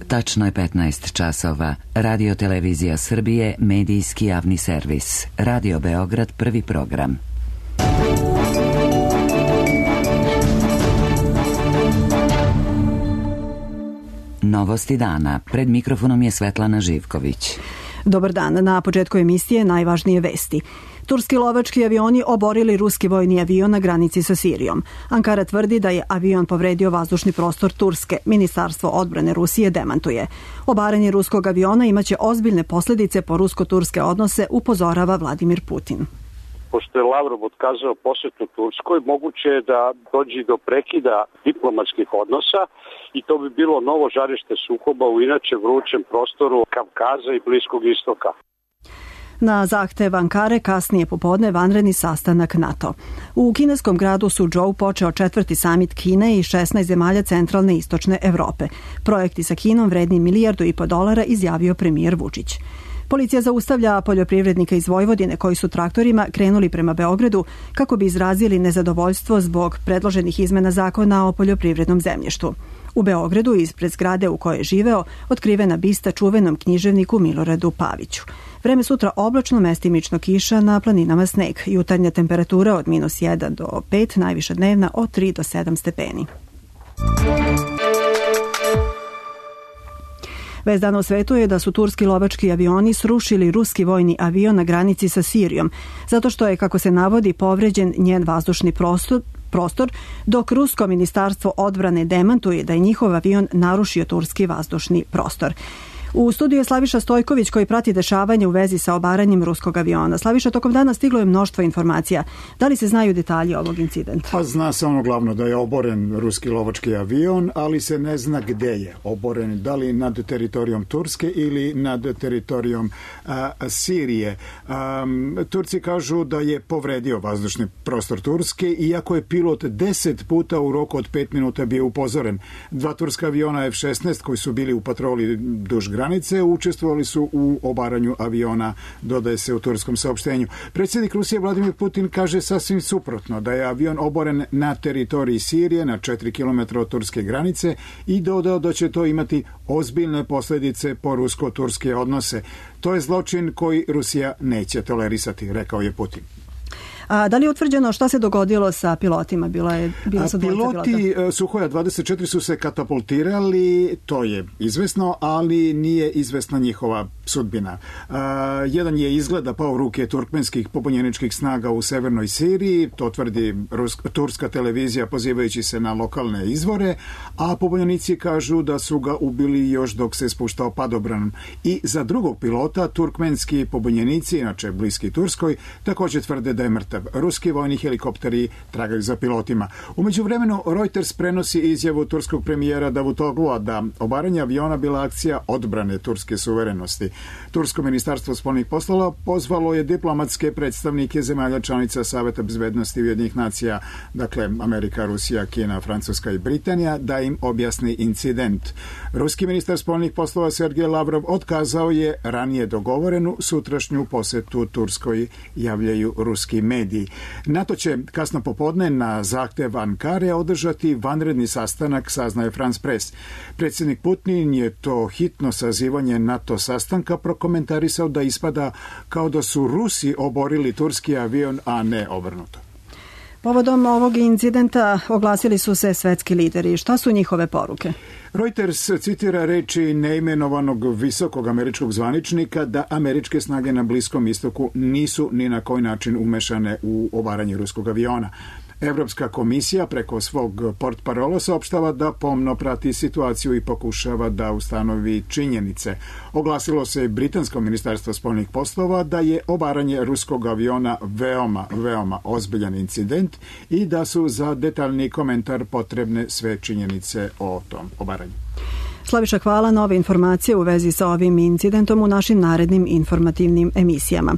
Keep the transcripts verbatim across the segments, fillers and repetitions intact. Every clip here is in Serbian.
Tačno je petnaest časova. Radio Televizija Srbije, medijski javni servis. Radio Beograd, prvi program. Novosti dana. Pred mikrofonom je Svetlana Živković. Dobar dan. Na početku emisije najvažnije vesti. Turski lovački avioni oborili ruski vojni avion na granici sa Sirijom. Ankara tvrdi da je avion povredio vazdušni prostor Turske. Ministarstvo odbrane Rusije demantuje. Obaranje ruskog aviona imaće ozbiljne posljedice po rusko-turske odnose, upozorava Vladimir Putin. Pošto je Lavrov otkazao posjetu Turskoj, moguće je da dođe do prekida diplomatskih odnosa i to bi bilo novo žarište sukoba u inače vrućem prostoru Kavkaza i Bliskog istoka. Na zahtev Ankare kasnije popodne vanredni sastanak NATO. U kineskom gradu Suzhou počeo četvrti samit Kine i šesnaest zemalja centralne i istočne Evrope. Projekti sa Kinom vredni milijardu i po dolara, izjavio premijer Vučić. Policija zaustavlja poljoprivrednika iz Vojvodine koji su traktorima krenuli prema Beogradu kako bi izrazili nezadovoljstvo zbog predloženih izmena zakona o poljoprivrednom zemljištu. U Beogradu, ispred zgrade u kojoj je živeo, otkrivena bista čuvenom književniku Miloradu Paviću. Vreme sutra oblačno, mestimično kiša, na planinama sneg. Jutarnja temperatura od minus jedan do pet, najviša dnevna od tri do sedam stepeni. Vest dana u svetu je da su turski lovački avioni srušili ruski vojni avion na granici sa Sirijom, zato što je, kako se navodi, povređen njen vazdušni prostor, prostor, dok rusko ministarstvo odbrane demantuje da je njihov avion narušio turski vazdušni prostor. U studiju je Slaviša Stojković koji prati dešavanje u vezi sa obaranjem ruskog aviona. Slaviša, tokom dana stiglo je mnoštvo informacija. Da li se znaju detalji ovog incidenta? Pa zna se ono glavno da je oboren ruski lovački avion, ali se ne zna gde je oboren. Da li nad teritorijom Turske ili nad teritorijom a, Sirije. A, Turci kažu da je povredio vazdušni prostor Turske, iako je pilot deset puta u roku od pet minuta bio upozoren. Dva turska aviona F šesnaest koji su bili u patroli duž granice učestvovali su u obaranju aviona, dodaje se u turskom saopštenju. Predsjednik Rusije Vladimir Putin kaže sasvim suprotno, da je avion oboren na teritoriji Sirije, na četiri kilometra od turske granice, i dodao da će to imati ozbiljne posljedice po rusko-turske odnose. To je zločin koji Rusija neće tolerisati, rekao je Putin. A da li je utvrđeno šta se dogodilo sa pilotima? Bila je, bila su Piloti pilota. Suhoja dvadeset četiri su se katapultirali, to je izvesno, ali nije izvesna njihova sudbina. A, jedan je izgleda pao u ruke turkmenskih pobunjeničkih snaga u severnoj Siriji, to tvrdi ruska, turska televizija pozivajući se na lokalne izvore, a pobunjenici kažu da su ga ubili još dok se spuštao padobran. I za drugog pilota turkmenski pobunjenici, inače bliski Turskoj, također tvrde da je mrtav. Ruski vojni helikopteri tragaju za pilotima. U međuvremenu Reuters prenosi izjavu turskog premijera Davutoglua da obaranje aviona bila akcija odbrane turske suverenosti. Tursko ministarstvo spoljnih poslova pozvalo je diplomatske predstavnike zemalja članica Saveta bezbednosti Ujedinjenih nacija, dakle Amerika, Rusija, Kina, Francuska i Britanija, da im objasni incident. Ruski ministar spoljnih poslova Sergej Lavrov otkazao je ranije dogovorenu sutrašnju posetu Turskoj, javljaju ruski mediji. NATO će kasno popodne na zahtev Ankare održati vanredni sastanak, saznaje France Press. Predsjednik Putin je to hitno sazivanje NATO sastanka prokomentarisao da ispada kao da su Rusi oborili turski avion, a ne obrnuto. Povodom ovog incidenta oglasili su se svetski lideri. Šta su njihove poruke? Reuters citira reči neimenovanog visokog američkog zvaničnika da američke snage na Bliskom istoku nisu ni na koji način umešane u obaranje ruskog aviona. Evropska komisija preko svog portparola saopštava da pomno prati situaciju i pokušava da ustanovi činjenice. Oglasilo se i britansko ministarstvo spoljnih poslova da je obaranje ruskog aviona veoma, veoma ozbiljan incident i da su za detaljni komentar potrebne sve činjenice o tom obaranju. Slaviša, hvala. Nove informacije u vezi sa ovim incidentom u našim narednim informativnim emisijama.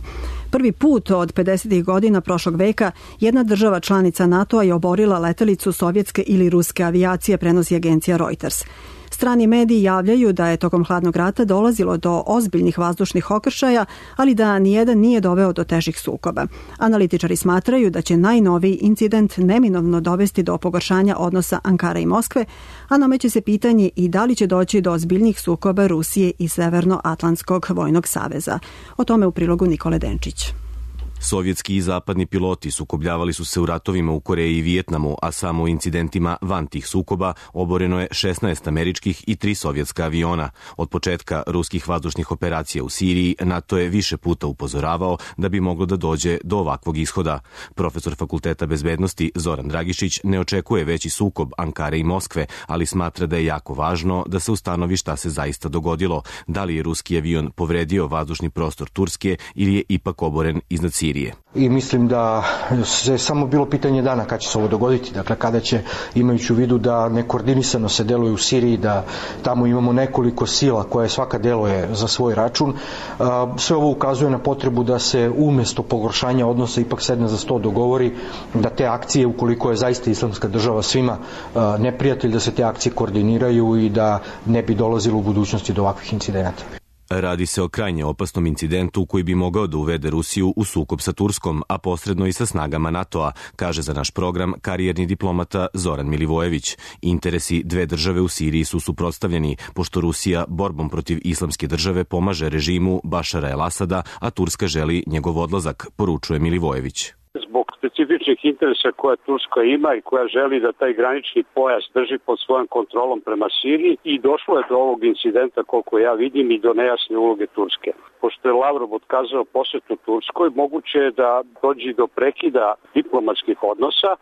Prvi put od pedesetih godina prošlog veka jedna država članica NATO-a je oborila letelicu sovjetske ili ruske avijacije, prenosi agencija Reuters. Strani mediji javljaju da je tokom hladnog rata dolazilo do ozbiljnih vazdušnih okršaja, ali da nijedan nije doveo do težih sukoba. Analitičari smatraju da će najnoviji incident neminovno dovesti do pogoršanja odnosa Ankara i Moskve, a nameće se pitanje i da li će doći do ozbiljnih sukoba Rusije i Severnoatlantskog vojnog saveza. O tome u prilogu Nikole Denčić. Sovjetski i zapadni piloti sukobljavali su se u ratovima u Koreji i Vijetnamu, a samo u incidentima van tih sukoba oboreno je šesnaest američkih i tri sovjetska aviona. Od početka ruskih vazdušnih operacija u Siriji NATO je više puta upozoravao da bi moglo da dođe do ovakvog ishoda. Profesor Fakulteta bezbednosti Zoran Dragišić ne očekuje veći sukob Ankare i Moskve, ali smatra da je jako važno da se ustanovi šta se zaista dogodilo, da li je ruski avion povredio vazdušni prostor Turske ili je ipak oboren iznad Sirije. I mislim da je samo bilo pitanje dana kada će se ovo dogoditi, dakle kada će, imajući u vidu da nekoordinisano se deluje u Siriji, da tamo imamo nekoliko sila koje svaka deluje za svoj račun, sve ovo ukazuje na potrebu da se umjesto pogoršanja odnosa ipak sedne za sto dogovori, da te akcije, ukoliko je zaista Islamska država svima neprijatelj, da se te akcije koordiniraju i da ne bi dolazilo u budućnosti do ovakvih incidenata. Radi se o krajnje opasnom incidentu koji bi mogao da uvede Rusiju u sukob sa Turskom, a posredno i sa snagama NATO-a, kaže za naš program karijerni diplomata Zoran Milivojević. Interesi dve države u Siriji su suprotstavljeni, pošto Rusija borbom protiv Islamske države pomaže režimu Bašara el-Asada, a Turska želi njegov odlazak, poručuje Milivojević. Zbog specifičnih interesa koja Turska ima i koja želi da taj granični pojas drži pod svojom kontrolom prema Siriji i došlo je do ovog incidenta, koliko ja vidim, i do nejasne uloge Turske. Pošto je Lavrov otkazao posjetu Turskoj, moguće je da dođe do prekida diplomatskih odnosa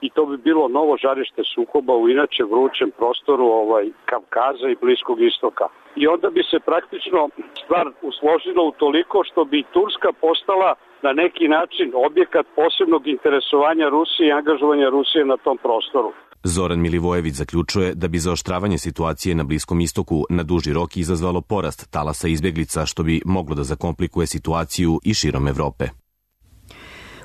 i to bi bilo novo žarište sukoba u inače vrućem prostoru ovaj Kavkaza i Bliskog istoka. I onda bi se praktično stvar usložila u toliko što bi Turska postala na neki način objekat posebnog interesovanja Rusije i angažovanja Rusije na tom prostoru. Zoran Milivojević zaključuje da bi zaoštravanje situacije na Bliskom istoku na duži rok izazvalo porast talasa izbjeglica, što bi moglo da zakomplikuje situaciju i širom Evrope.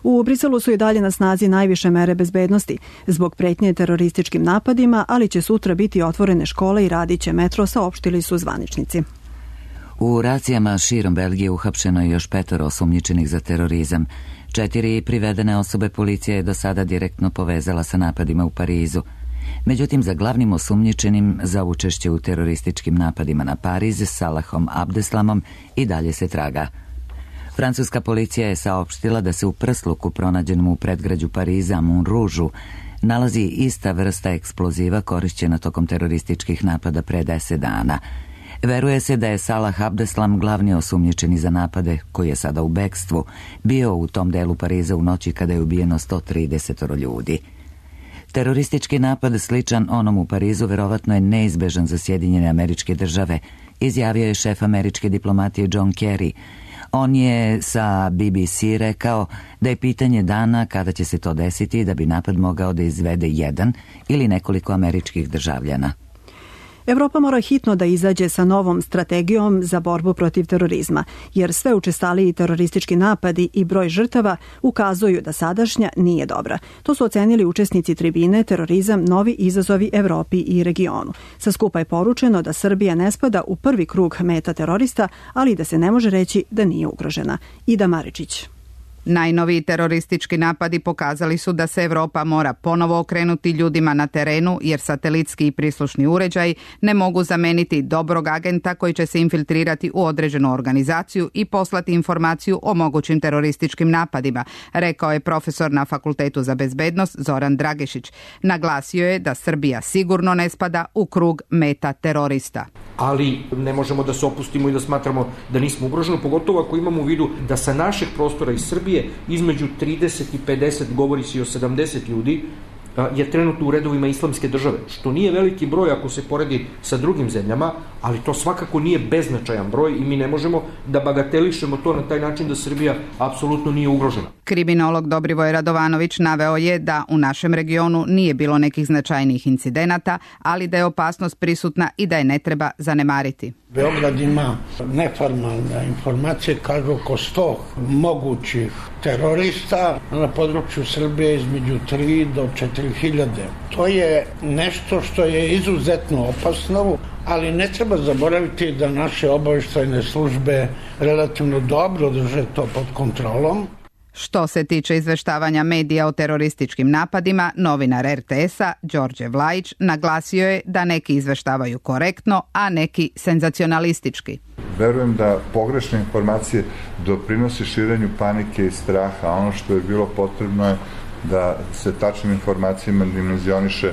U Briselu su i dalje na snazi najviše mere bezbednosti zbog pretnje terorističkim napadima, ali će sutra biti otvorene škole i radit će metro, saopštili su zvaničnici. U racijama širom Belgije uhapšeno je još petoro osumnjičenih za terorizam. Četiri privedene osobe policija je do sada direktno povezala sa napadima u Parizu. Međutim, za glavnim osumnjičenim za učešće u terorističkim napadima na Pariz, Salahom Abdeslamom, i dalje se traga. Francuska policija je saopštila da se u prsluku pronađenom u predgrađu Pariza, Montroužu, nalazi ista vrsta eksploziva korišćena tokom terorističkih napada pre deset dana. Veruje se da je Salah Abdeslam, glavni osumnjičeni za napade, koji je sada u bekstvu, bio u tom delu Pariza u noći kada je ubijeno sto trideset ljudi. Teroristički napad sličan onom u Parizu verovatno je neizbežan za Sjedinjene Američke Države, izjavio je šef američke diplomatije John Kerry. On je sa B B C rekao da je pitanje dana kada će se to desiti i da bi napad mogao da izvede jedan ili nekoliko američkih državljana. Evropa mora hitno da izađe sa novom strategijom za borbu protiv terorizma, jer sve učestaliji teroristički napadi i broj žrtava ukazuju da sadašnja nije dobra. To su ocenili učesnici tribine Terorizam, novi izazovi Evropi i regionu. Sa skupa je poručeno da Srbija ne spada u prvi krug meta terorista, ali da se ne može reći da nije ugrožena. Ida Maričić. Najnoviji teroristički napadi pokazali su da se Evropa mora ponovo okrenuti ljudima na terenu, jer satelitski i prislušni uređaj ne mogu zameniti dobrog agenta koji će se infiltrirati u određenu organizaciju i poslati informaciju o mogućim terorističkim napadima, rekao je profesor na Fakultetu za bezbednost Zoran Dragišić. Naglasio je da Srbija sigurno ne spada u krug meta terorista. Ali ne možemo da se opustimo i da smatramo da nismo ugroženi, pogotovo ako imamo u vidu da sa našeg prostora iz Srbije između trideset i pedeset, govori se i o sedamdeset ljudi, je trenutno u redovima Islamske države, što nije veliki broj ako se poredi sa drugim zemljama, ali to svakako nije beznačajan broj i mi ne možemo da bagatelišemo to na taj način da Srbija apsolutno nije ugrožena. Kriminolog Dobrivoj Radovanović naveo je da u našem regionu nije bilo nekih značajnijih incidenata, ali da je opasnost prisutna i da je ne treba zanemariti. Beograd ima neformalne informacije, kažu oko sto mogućih terorista na području Srbije između tri do četiri hiljade. To je nešto što je izuzetno opasno. ali ne treba zaboraviti da naše obavještajne službe relativno dobro drže to pod kontrolom. Što se tiče izveštavanja medija o terorističkim napadima, novinar er te es-a Đorđe Vlajić naglasio je da neki izveštavaju korektno, a neki senzacionalistički. Verujem da pogrešne informacije doprinose širenju panike i straha, a ono što je bilo potrebno je da se tačnim informacijama dimenzioniše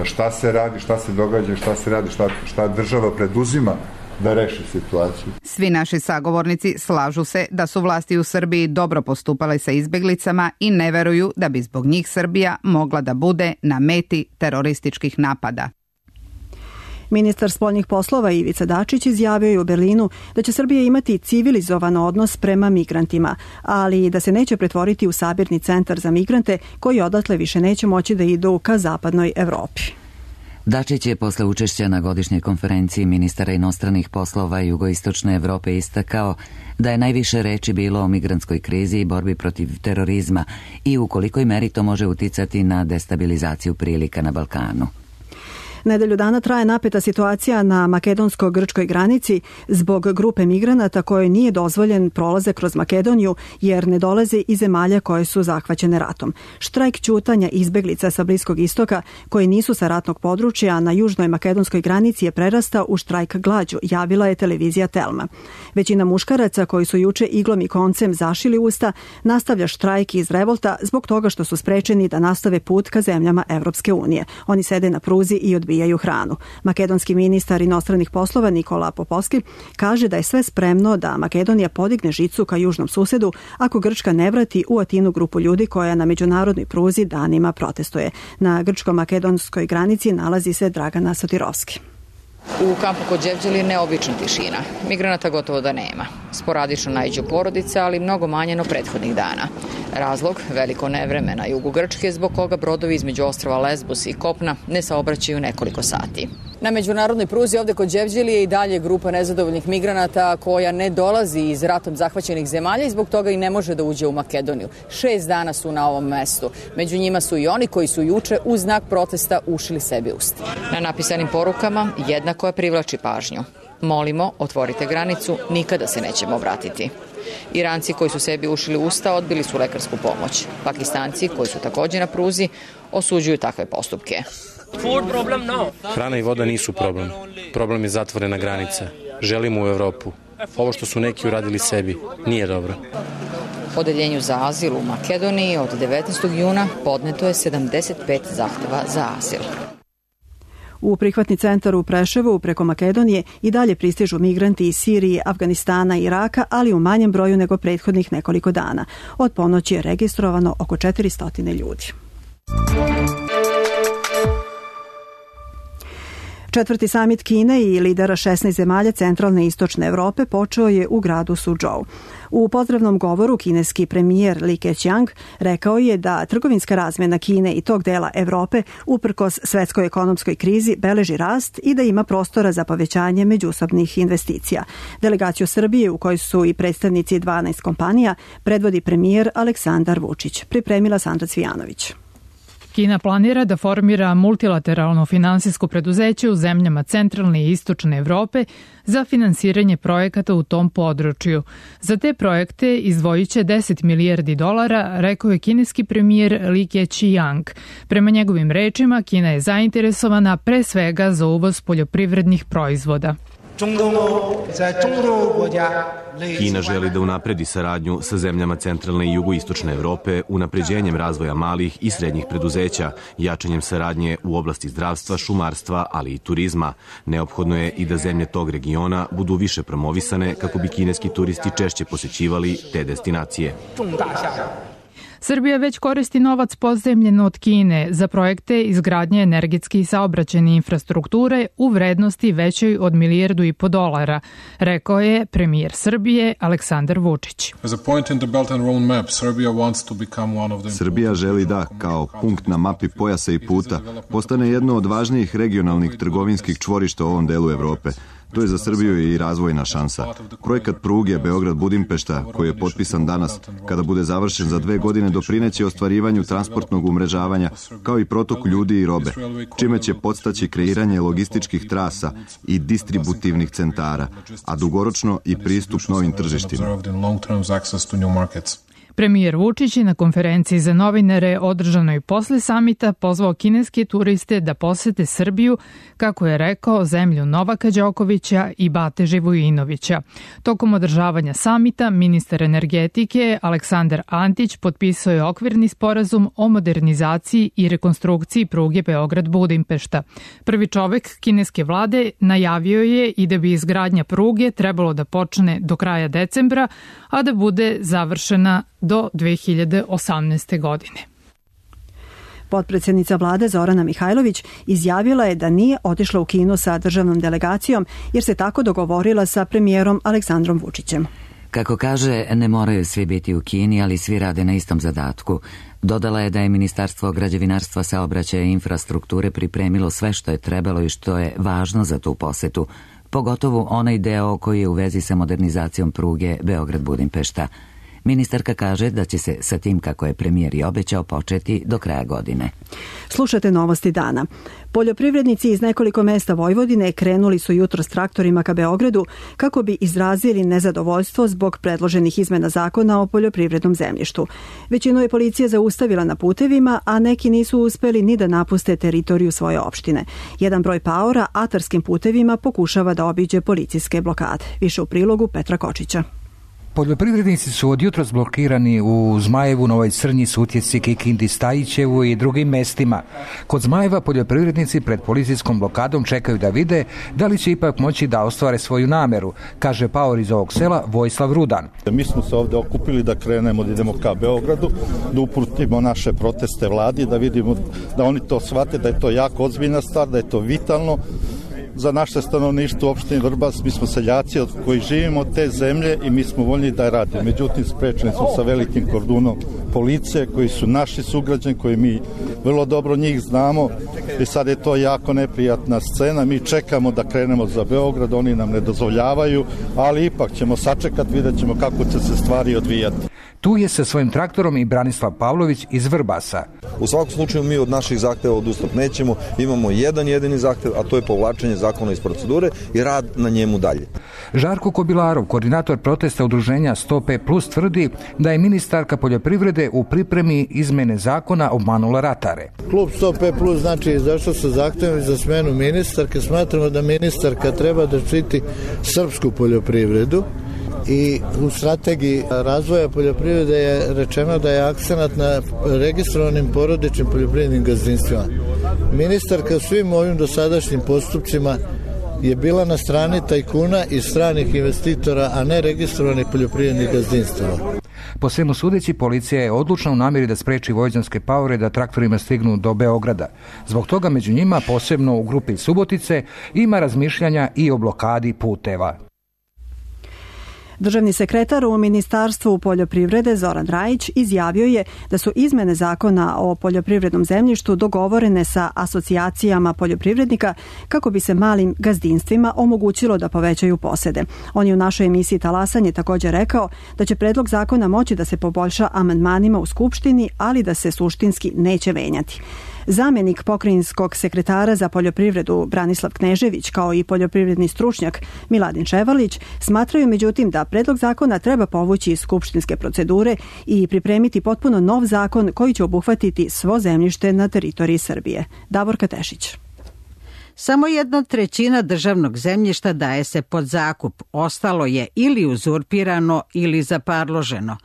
šta se radi, šta se događa, šta se radi, šta, šta država preduzima da reši situaciju. Svi naši sagovornici slažu se da su vlasti u Srbiji dobro postupale sa izbeglicama i ne veruju da bi zbog njih Srbija mogla da bude na meti terorističkih napada. Ministar spoljnih poslova Ivica Dačić izjavio je u Berlinu da će Srbija imati civilizovan odnos prema migrantima, ali i da se neće pretvoriti u sabirni centar za migrante koji odatle više neće moći da idu ka zapadnoj Evropi. Dačić je posle učešća na godišnjoj konferenciji ministara inostranih poslova Jugoistočne Evrope istakao da je najviše reči bilo o migrantskoj krizi i borbi protiv terorizma i u kolikoj meri to može uticati na destabilizaciju prilika na Balkanu. Nedelju dana traje napeta situacija na makedonsko-grčkoj granici zbog grupe migranata kojoj nije dozvoljen prolazak kroz Makedoniju jer ne dolaze iz zemalja koje su zahvaćene ratom. Štrajk ćutanja izbeglica sa Bliskog istoka koji nisu sa ratnog područja na južnoj makedonskoj granici je prerastao u štrajk glađu, javila je televizija Telma. Većina muškaraca koji su juče iglom i koncem zašili usta nastavlja štrajk iz revolta zbog toga što su sprečeni da nastave put ka zemljama Evropske unije. Oni sede na pruzi i odbijaju hranu. Makedonski ministar inostranih poslova Nikola Popovski kaže da je sve spremno da Makedonija podigne žicu ka južnom susedu ako Grčka ne vrati u Atinu grupu ljudi koja na međunarodnoj pruzi danima protestuje. Na grčko-makedonskoj granici nalazi se Dragana Sotirovski. U kampu kod Đevđeli neobična tišina. Migranata gotovo da nema. Sporadično naiđu porodice, ali mnogo manje no prethodnih dana. Razlog, veliko nevreme na jugu Grčke, zbog koga brodovi između ostrava Lesbos i Kopna ne saobraćaju nekoliko sati. Na međunarodnoj pruzi ovde kod Đevđeli je i dalje grupa nezadovoljnih migranata koja ne dolazi iz ratom zahvaćenih zemalja i zbog toga i ne može da uđe u Makedoniju. Šest dana su na ovom mestu. Među njima su i oni koji su juče u znak protesta ušili sebi usta. Na napisanim porukama jedna koja privlači pažnju. Molimo, otvorite granicu, nikada se nećemo vratiti. Iranci koji su sebi ušili usta odbili su lekarsku pomoć. Pakistanci koji su također na pruzi osuđuju takve postupke. Hrana i voda nisu problem. Problem je zatvorena granica. Želimo u Evropu. Ovo što su neki uradili sebi nije dobro. Odeljenju za azil u Makedoniji od devetnaestog juna podneto je sedamdeset pet zahteva za azil. U prihvatni centar u Preševu preko Makedonije i dalje pristižu migranti iz Sirije, Afganistana i Iraka, ali u manjem broju nego prethodnih nekoliko dana. Od ponoći je registrovano oko četiristo ljudi. Četvrti samit Kine i lidera šesnaest zemalja centralne i istočne Evrope počeo je u gradu Suzhou. U pozdravnom govoru kineski premijer Li Keqiang rekao je da trgovinska razmjena Kine i tog dela Evrope uprkos svetskoj ekonomskoj krizi beleži rast i da ima prostora za povećanje međusobnih investicija. Delegaciju Srbije, u kojoj su i predstavnici dvanaest kompanija, predvodi premijer Aleksandar Vučić. Pripremila Sandra Cvijanović. Kina planira da formira multilateralno finansijsko preduzeće u zemljama centralne i istočne Evrope za finansiranje projekata u tom području. Za te projekte izdvojit će deset milijardi dolara, rekao je kineski premijer Li Keqiang. Prema njegovim rečima, Kina je zainteresovana pre svega za uvoz poljoprivrednih proizvoda. Kina želi da unapredi saradnju sa zemljama centralne i jugoistočne Evrope unapređenjem razvoja malih i srednjih preduzeća, jačanjem saradnje u oblasti zdravstva, šumarstva, ali i turizma. Neophodno je i da zemlje tog regiona budu više promovisane kako bi kineski turisti češće posećivali te destinacije. Srbija već koristi novac pozajmljen od Kine za projekte izgradnje energetske i saobraćajne infrastrukture u vrednosti većoj od milijardu i po dolara, rekao je premijer Srbije Aleksandar Vučić. Srbija želi da, kao punkt na mapi pojasa i puta, postane jedno od važnijih regionalnih trgovinskih čvorišta u ovom delu Evrope. To je za Srbiju i razvojna šansa. Projekat pruge Beograd-Budimpešta, koji je potpisan danas, kada bude završen za dve godine, doprineće ostvarivanju transportnog umrežavanja, kao i protoku ljudi i robe, čime će podstaći kreiranje logističkih trasa i distributivnih centara, a dugoročno i pristup novim tržištima. Premijer Vučić je na konferenciji za novinare održanoj posle samita pozvao kineske turiste da posete Srbiju, kako je rekao, zemlju Novaka Đokovića i Bate Živojinovića. Tokom održavanja samita ministar energetike Aleksandar Antić potpisao je okvirni sporazum o modernizaciji i rekonstrukciji pruge Beograd-Budimpešta. Prvi čovek kineske vlade najavio je i da bi izgradnja pruge trebalo da počne do kraja decembra, a da bude završena do dve hiljade osamnaeste. godine. Potpredsjednica vlade Zorana Mihajlović izjavila je da nije otišla u Kinu sa državnom delegacijom jer se tako dogovorila sa premijerom Aleksandrom Vučićem. Kako kaže, ne moraju svi biti u Kini, ali svi rade na istom zadatku. Dodala je da je Ministarstvo građevinarstva, saobraćaja i infrastrukture pripremilo sve što je trebalo i što je važno za tu posetu, pogotovo onaj deo koji je u vezi sa modernizacijom pruge Beograd-Budimpešta. Ministarka kaže da će se sa tim, kako je premijer i obećao, početi do kraja godine. Slušate novosti dana. Poljoprivrednici iz nekoliko mesta Vojvodine krenuli su jutro s traktorima ka Beogradu kako bi izrazili nezadovoljstvo zbog predloženih izmena zakona o poljoprivrednom zemljištu. Većinu je policija zaustavila na putevima, a neki nisu uspeli ni da napuste teritoriju svoje opštine. Jedan broj paora atarskim putevima pokušava da obiđe policijske blokade. Više u prilogu Petra Kočića. Poljoprivrednici su od jutros blokirani u Zmajevu, Novoj Crnji, Sutjeci, Kikindi, Stajićevu i drugim mestima. Kod Zmajeva poljoprivrednici pred policijskom blokadom čekaju da vide da li će ipak moći da ostvare svoju nameru, kaže paor iz ovog sela Vojislav Rudan. Mi smo se ovde okupili da krenemo, da idemo ka Beogradu, da uputimo naše proteste vladi, da vidimo da oni to shvate, da je to jako ozbiljna stvar, da je to vitalno za naše stanovništvo u opštini Vrbas. Mi smo seljaci od koji živimo od te zemlje i mi smo voljni da je radimo. Međutim, sprečeni smo sa velikim kordonom policije koji su naši sugrađani, koji mi vrlo dobro njih znamo i sad je to jako neprijatna scena. Mi čekamo da krenemo za Beograd, oni nam ne dozvoljavaju, ali ipak ćemo sačekati, vidjet ćemo kako će se stvari odvijati. Tu je sa svojim traktorom i Branislav Pavlović iz Vrbasa. U svakom slučaju mi od naših zahteva odustat nećemo, imamo jedan jedini zahtev, a to je povlačenje zakona iz procedure i rad na njemu dalje. Žarko Kobilarov, koordinator protesta udruženja sto pet plus, tvrdi da je ministarka poljoprivrede u pripremi izmene zakona obmanula ratare. Klub sto pet plus znači izašao sa zahtevom za smenu ministarke. Smatramo da ministarka treba da štiti srpsku poljoprivredu. I u strategiji razvoja poljoprivrede je rečeno da je akcenat na registrovanim porodičnim poljoprivrednim gazdinstvima. Ministarka svim ovim dosadašnjim postupcima je bila na strani tajkuna i stranih investitora, a ne registrovanih poljoprivrednih gazdinstava. Po svemu sudeći, policija je odlučna u namjeri da spreči vojvođanske paore da traktorima stignu do Beograda. Zbog toga među njima, posebno u grupi Subotice, ima razmišljanja i o blokadi puteva. Državni sekretar u Ministarstvu poljoprivrede Zoran Rajić izjavio je da su izmene zakona o poljoprivrednom zemljištu dogovorene sa asocijacijama poljoprivrednika kako bi se malim gazdinstvima omogućilo da povećaju posede. On je u našoj emisiji Talasanje također rekao da će predlog zakona moći da se poboljša amandmanima u Skupštini, ali da se suštinski neće menjati. Zamjenik pokrajinskog sekretara za poljoprivredu Branislav Knežević kao i poljoprivredni stručnjak Miladin Ševarlić smatraju međutim da predlog zakona treba povući iz skupštinske procedure i pripremiti potpuno nov zakon koji će obuhvatiti svo zemljište na teritoriji Srbije. Davorka Tešić. Samo jedna trećina državnog zemljišta daje se pod zakup, ostalo je ili uzurpirano ili zaparloženo.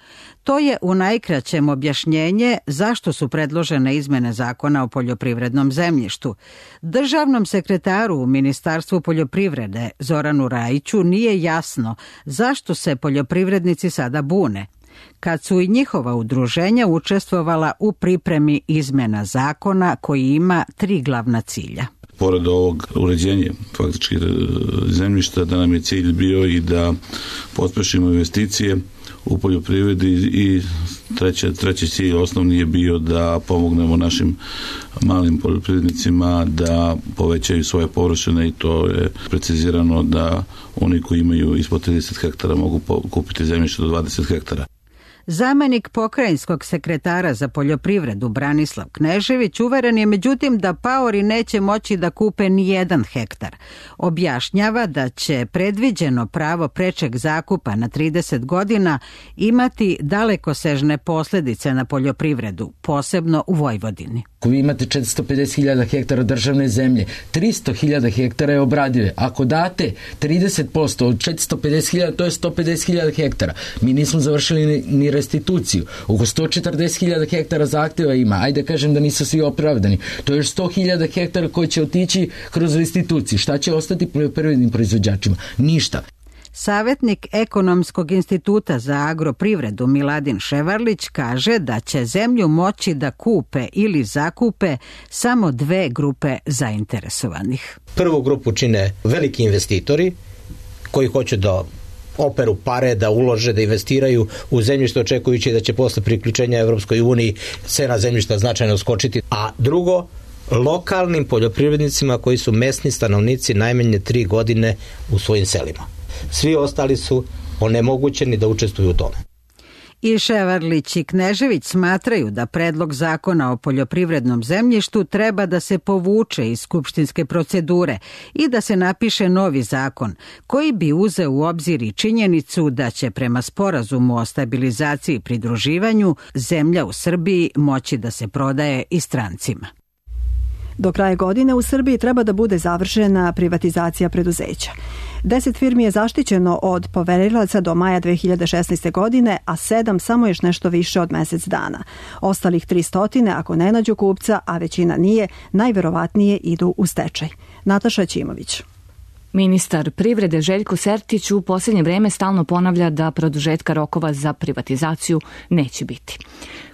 To je u najkraćem objašnjenje zašto su predložene izmene zakona o poljoprivrednom zemljištu. Državnom sekretaru u Ministarstvu poljoprivrede Zoranu Rajiću nije jasno zašto se poljoprivrednici sada bune, kad su i njihova udruženja učestvovala u pripremi izmena zakona koji ima tri glavna cilja. Pored ovog uređenja faktički zemljišta, da nam je cilj bio i da pospešimo investicije u poljoprivredi i treće, treći cilj osnovni je bio da pomognemo našim malim poljoprivrednicima da povećaju svoje površine i to je precizirano da oni koji imaju ispod trideset hektara mogu kupiti zemljište do dvadeset hektara. Zamenik pokrajinskog sekretara za poljoprivredu Branislav Knežević uveren je međutim da paori neće moći da kupe ni jedan hektar. Objašnjava da će predviđeno pravo prečeg zakupa na trideset godina imati dalekosežne posljedice na poljoprivredu, posebno u Vojvodini. Ako vi imate četiristo pedeset hiljada hektara državne zemlje, tristo hiljada hektara je obradive. Ako date trideset posto od četiristo pedeset hiljada, to je sto pedeset hiljada hektara. Mi nismo završili ni, ni restituciju. Oko sto četrdeset hiljada hektara zahtjeva ima. Ajde kažem da nisu svi opravdani. To je još sto hiljada hektara koji će otići kroz restituciju. Šta će ostati poljoprivrednim proizvođačima? Ništa. Savjetnik Ekonomskog instituta za agroprivredu Miladin Ševarlić kaže da će zemlju moći da kupe ili zakupe samo dve grupe zainteresovanih. Prvu grupu čine veliki investitori koji hoće da operu pare, da ulože, da investiraju u zemljište očekujući da će posle priključenja Evropskoj uniji cena zemljišta značajno skočiti. A drugo, lokalnim poljoprivrednicima koji su mesni stanovnici najmanje tri godine u svojim selima. Svi ostali su onemogućeni da učestvuju u tome. I Ševarlić i Knežević smatraju da predlog zakona o poljoprivrednom zemljištu treba da se povuče iz skupštinske procedure i da se napiše novi zakon koji bi uzeo u obzir i činjenicu da će prema sporazumu o stabilizaciji i pridruživanju zemlja u Srbiji moći da se prodaje i strancima. Do kraja godine u Srbiji treba da bude završena privatizacija preduzeća. Deset firmi je zaštićeno od poverilaca do maja dve hiljade šesnaeste. godine, a sedam samo još nešto više od mjesec dana. Ostalih tristo, ako ne nađu kupca, a većina nije, najverovatnije idu u stečaj. Nataša Ćimović. Ministar privrede Željko Sertić u posljednje vreme stalno ponavlja da produžetka rokova za privatizaciju neće biti.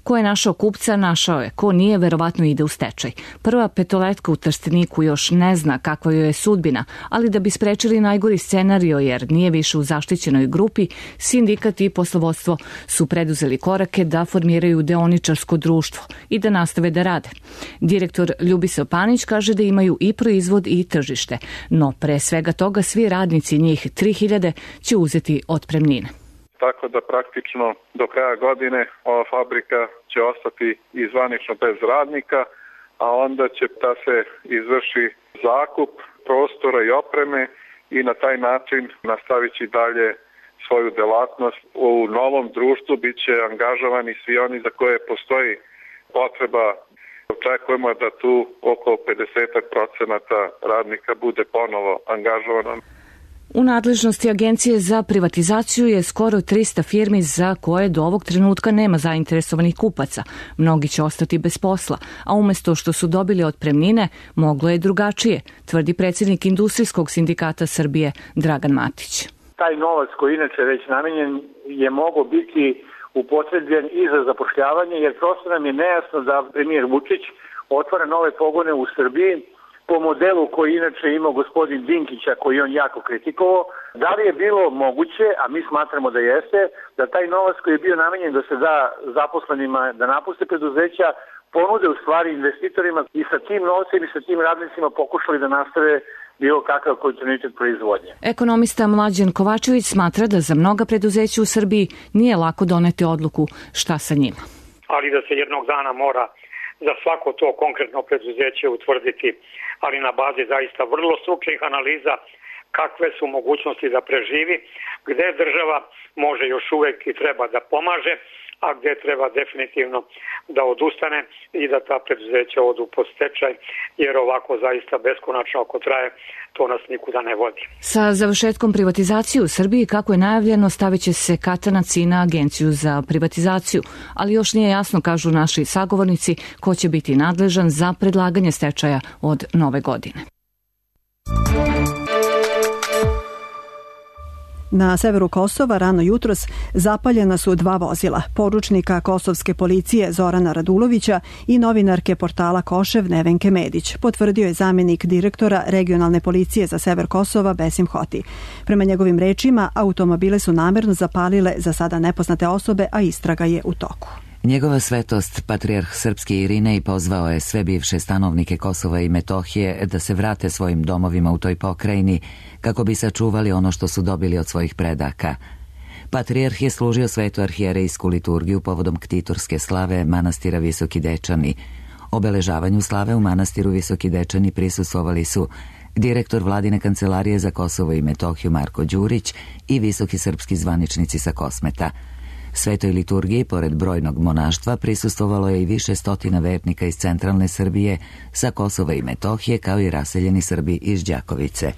Ko je našao kupca, našao je. Ko nije, verovatno ide u stečaj. Prva petoletka u Trsteniku još ne zna kakva joj je sudbina, ali da bi sprečili najgori scenario jer nije više u zaštićenoj grupi, sindikat i poslovodstvo su preduzeli korake da formiraju deoničarsko društvo i da nastave da rade. Direktor Ljubisav Panić kaže da imaju i proizvod i tržište, no pre svega toga svi radnici, njih tri hiljade, će uzeti otpremnine. Tako da praktično do kraja godine ova fabrika će ostati i zvanično bez radnika, a onda će da se izvrši zakup prostora i opreme i na taj način nastaviti dalje svoju delatnost. U novom društvu bit će angažovani svi oni za koje postoji potreba. Očekujemo da tu oko pedeset procenata radnika bude ponovo angažovano. U nadležnosti Agencije za privatizaciju je skoro tristo firmi za koje do ovog trenutka nema zainteresovanih kupaca. Mnogi će ostati bez posla, a umjesto što su dobili otpremnine, moglo je drugačije, tvrdi predsjednik Industrijskog sindikata Srbije Dragan Matić. Taj novac koji inače već namenjen je mogao biti upotrebljen i za zapošljavanje, jer prosto nam je nejasno da premijer Vučić otvara nove pogone u Srbiji po modelu koji inače imao gospodin Dinkića, koji on jako kritikovao. Da li je bilo moguće, a mi smatramo da jeste, da taj novac koji je bio namenjen da se da zaposlenima da napuste preduzeća, ponude u stvari investitorima i sa tim novcem i sa tim radnicima pokušali da nastave bilo kakav kontinuitet proizvodnje. Ekonomista Mlađan Kovačević smatra da za mnoga preduzeća u Srbiji nije lako doneti odluku šta sa njima. Ali da se jednog dana mora za svako to konkretno preduzeće utvrditi, ali na bazi zaista vrlo stručnih analiza kakve su mogućnosti da preživi, gde država može još uvek i treba da pomaže, a gde treba definitivno da odustane i da ta preduzeća odu pod stečaj, jer ovako zaista beskonačno ako traje, to nas nikuda ne vodi. Sa završetkom privatizacije u Srbiji, kako je najavljeno, stavit će se katanac i na Agenciju za privatizaciju, ali još nije jasno, kažu naši sagovornici, ko će biti nadležan za predlaganje stečaja od nove godine. Na severu Kosova rano jutros zapaljena su dva vozila, poručnika kosovske policije Zorana Radulovića i novinarke portala Košev Nevenke Medić, potvrdio je zamjenik direktora regionalne policije za sever Kosova Besim Hoti. Prema njegovim rečima, automobile su namerno zapalile za sada nepoznate osobe, a istraga je u toku. Njegova svetost, patrijarh srpski Irinej, pozvao je sve bivše stanovnike Kosova i Metohije da se vrate svojim domovima u toj pokrajini kako bi sačuvali ono što su dobili od svojih predaka. Patrijarh je služio svetu arhijerejsku liturgiju povodom ktitorske slave manastira Visoki Dečani. Obeležavanju slave u manastiru Visoki Dečani prisustvovali su direktor vladine kancelarije za Kosovo i Metohiju Marko Đurić i visoki srpski zvaničnici sa Kosmeta. Svetoj liturgiji, pored brojnog monaštva, prisustvovalo je i više stotina vernika iz centralne Srbije, sa Kosova i Metohije, kao i raseljeni Srbi iz Đakovice.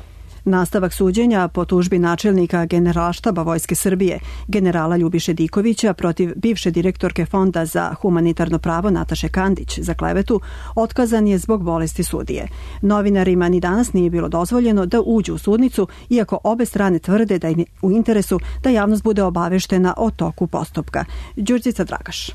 Nastavak suđenja po tužbi načelnika Generalštaba Vojske Srbije, generala Ljubiše Dikovića, protiv bivše direktorke Fonda za humanitarno pravo Nataše Kandić za klevetu, otkazan je zbog bolesti sudije. Novinarima ni danas nije bilo dozvoljeno da uđu u sudnicu, iako obe strane tvrde da im je u interesu da javnost bude obaveštena o toku postupka. Đurđica Dragaš.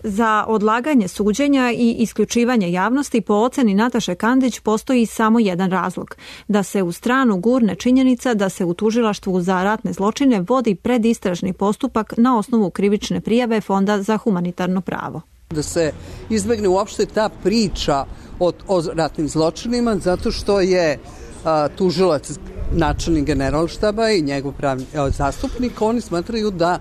Za odlaganje suđenja i isključivanje javnosti po oceni Nataše Kandić postoji samo jedan razlog, da se u stranu gurne činjenica da se u tužilaštvu za ratne zločine vodi predistražni postupak na osnovu krivične prijave Fonda za humanitarno pravo. Da se izbegne uopšte ta priča o, o ratnim zločinima, zato što je a, tužilac načelnik Generalštaba i njegov pravni a, zastupnik, oni smatraju da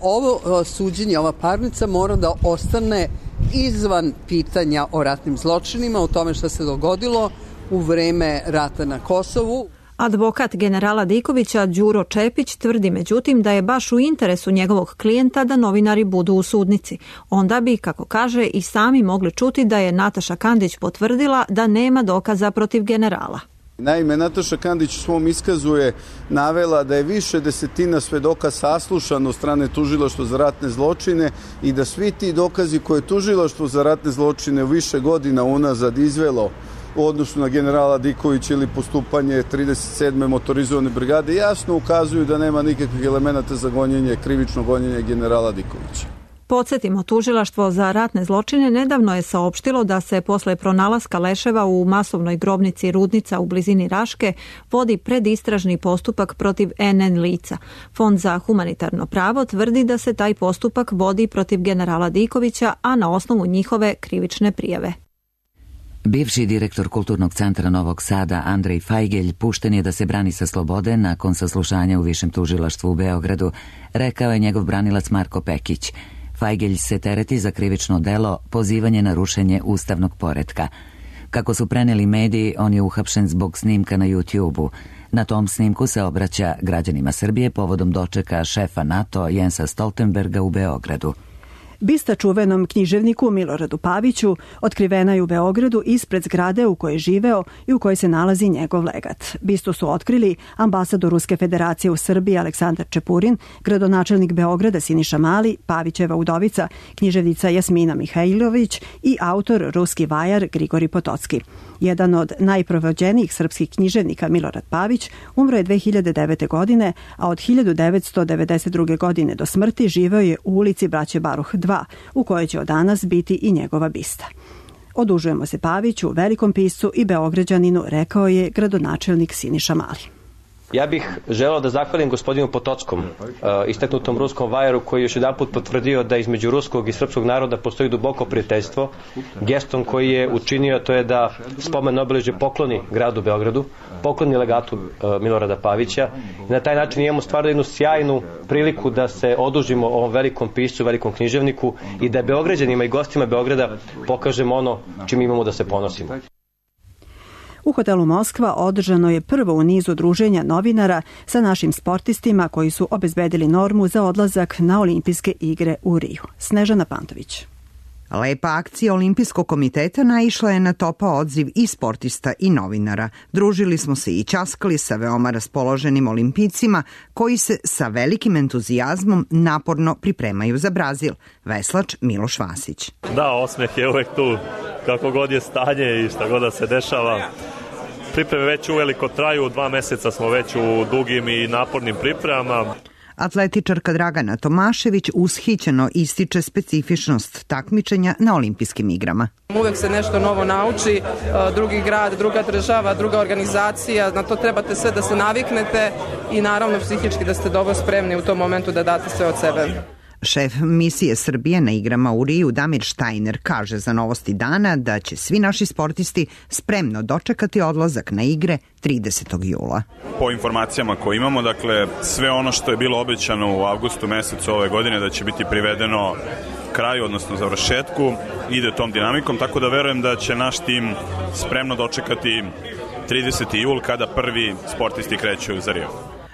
ovo suđenje, ova parnica mora da ostane izvan pitanja o ratnim zločinima, o tome što se dogodilo u vreme rata na Kosovu. Advokat generala Dikovića Đuro Čepić tvrdi međutim da je baš u interesu njegovog klijenta da novinari budu u sudnici. Onda bi, kako kaže, i sami mogli čuti da je Nataša Kandić potvrdila da nema dokaza protiv generala. Naime, Nataša Kandić u svom iskazu je navela da je više desetina svedoka saslušano od strane tužilaštva za ratne zločine i da svi ti dokazi koje je tužilaštvo za ratne zločine u više godina unazad izvelo u odnosu na generala Dikovića ili postupanje trideset sedme motorizovane brigade jasno ukazuju da nema nikakvih elemenata za gonjenje, krivično gonjenje generala Dikovića. Podsjetimo, tužilaštvo za ratne zločine nedavno je saopštilo da se posle pronalaska leševa u masovnoj grobnici Rudnica u blizini Raške vodi predistražni postupak protiv en en lica. Fond za humanitarno pravo tvrdi da se taj postupak vodi protiv generala Dikovića, a na osnovu njihove krivične prijave. Bivši direktor Kulturnog centra Novog Sada Andrej Fajgelj pušten je da se brani sa slobode nakon saslušanja u Višem tužilaštvu u Beogradu, rekao je njegov branilac Marko Pekić. Fajgelj se tereti za krivično delo pozivanje na rušenje ustavnog poretka. Kako su preneli mediji, on je uhapšen zbog snimka na YouTube-u. Na tom snimku se obraća građanima Srbije povodom dočeka šefa NATO Jensa Stoltenberga u Beogradu. Bista čuvenom književniku Miloradu Paviću otkrivena je u Beogradu ispred zgrade u kojoj je živeo i u kojoj se nalazi njegov legat. Bistu su otkrili ambasador Ruske federacije u Srbiji Aleksandar Čepurin, gradonačelnik Beograda Siniša Mali, Pavićeva udovica, književnica Jasmina Mihajlović i autor ruski vajar Grigori Potocki. Jedan od najprovođenijih srpskih književnika Milorad Pavić umro je dve hiljade devete. godine, a od hiljadu devetsto devedeset druge. godine do smrti živeo je u ulici Braće Baruh dva, u kojoj će od danas biti i njegova bista. Odužujemo se Paviću, velikom piscu i Beograđaninu, rekao je gradonačelnik Siniša Mali. Ja bih želeo da zahvalim gospodinu Potockom, istaknutom ruskom vajaru, koji je još jedan put potvrdio da između ruskog i srpskog naroda postoji duboko prijateljstvo. Gestom koji je učinio to je da spomen obeležje pokloni gradu Beogradu, pokloni legatu Milorada Pavića. I na taj način imamo stvarno jednu sjajnu priliku da se odužimo ovom velikom piscu, velikom književniku i da Beograđanima i gostima Beograda pokažemo ono čim imamo da se ponosimo. U hotelu Moskva održano je prvo u nizu druženja novinara sa našim sportistima koji su obezbedili normu za odlazak na olimpijske igre u Riju. Snežana Pantović. Lepa akcija Olimpijskog komiteta naišla je na topao odziv i sportista i novinara. Družili smo se i ćaskali sa veoma raspoloženim olimpijcima koji se sa velikim entuzijazmom naporno pripremaju za Brazil. Veslač Miloš Vasić. Da, osmeh je uvek tu, kako god je stanje i šta god da se dešava. Pripreme već uveliko traju, dva meseca smo već u dugim i napornim pripremama. Atletičarka Dragana Tomašević ushićeno ističe specifičnost takmičenja na olimpijskim igrama. Uvek se nešto novo nauči, drugi grad, druga država, druga organizacija, na to trebate sve da se naviknete i naravno psihički da ste dobro spremni u tom momentu da date sve od sebe. Šef misije Srbije na igrama u Riju Damir Štajner kaže za Novosti dana da će svi naši sportisti spremno dočekati odlazak na igre tridesetog jula. Po informacijama koje imamo, dakle, sve ono što je bilo obećano u avgustu mesecu ove godine da će biti privedeno kraju, odnosno završetku, ide tom dinamikom, tako da verujem da će naš tim spremno dočekati trideseti jul kada prvi sportisti kreću za Rio.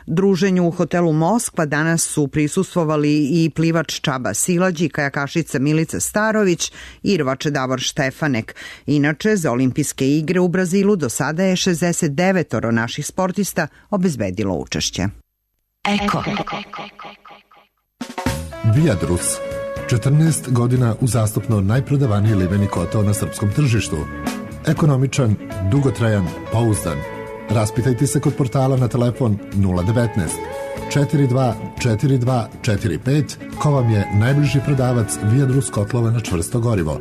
Druženju u hotelu Moskva danas su prisustvovali i plivač Čaba Silađi, kajakašica Milica Starović i rvač Davor Štefanek. Inače, za olimpijske igre u Brazilu do sada je šezdeset devet naših sportista obezbedilo učešće. Eko. Viadrus. četrnaest godina uzastopno najprodavaniji liveni kotao na srpskom tržištu. Ekonomičan, dugotrajan, pouzdan. Raspitajte se kod portala na telefon nula devetnaest četrdeset dva četrdeset dva četrdeset pet ko vam je najbliži prodavac Viadrus kotlova na čvrsto gorivo.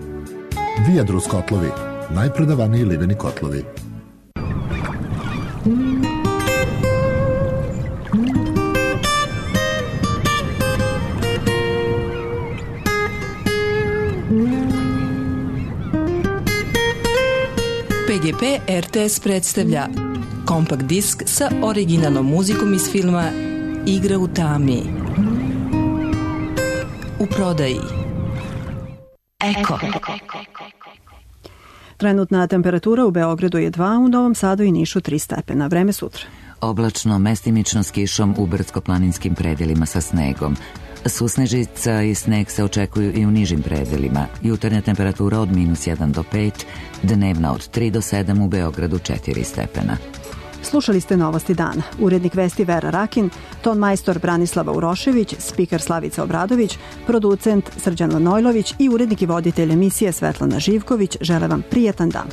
Viadrus kotlovi, najprodavaniji liveni kotlovi. P G P R T S predstavlja kompakt disk sa originalnom muzikom iz filma Igra u tami. U prodaji. Eko. Trenutna temperatura u Beogradu je dva, u Novom Sadu i Nišu tri stepena. Vreme sutra. Oblačno, mestimično s kišom u brdsko-planinskim predelima sa snegom. Susnežica i sneg se očekuju i u nižim predelima. Jutarnja temperatura od minus jedan do pet, dnevna od tri do sedam, u Beogradu četiri stepena. Slušali ste Novosti dana. Urednik vesti Vera Rakin, ton majstor Branislava Urošević, spiker Slavica Obradović, producent Srđan Vanojlović i urednik i voditelj emisije Svetlana Živković žele vam prijetan dan.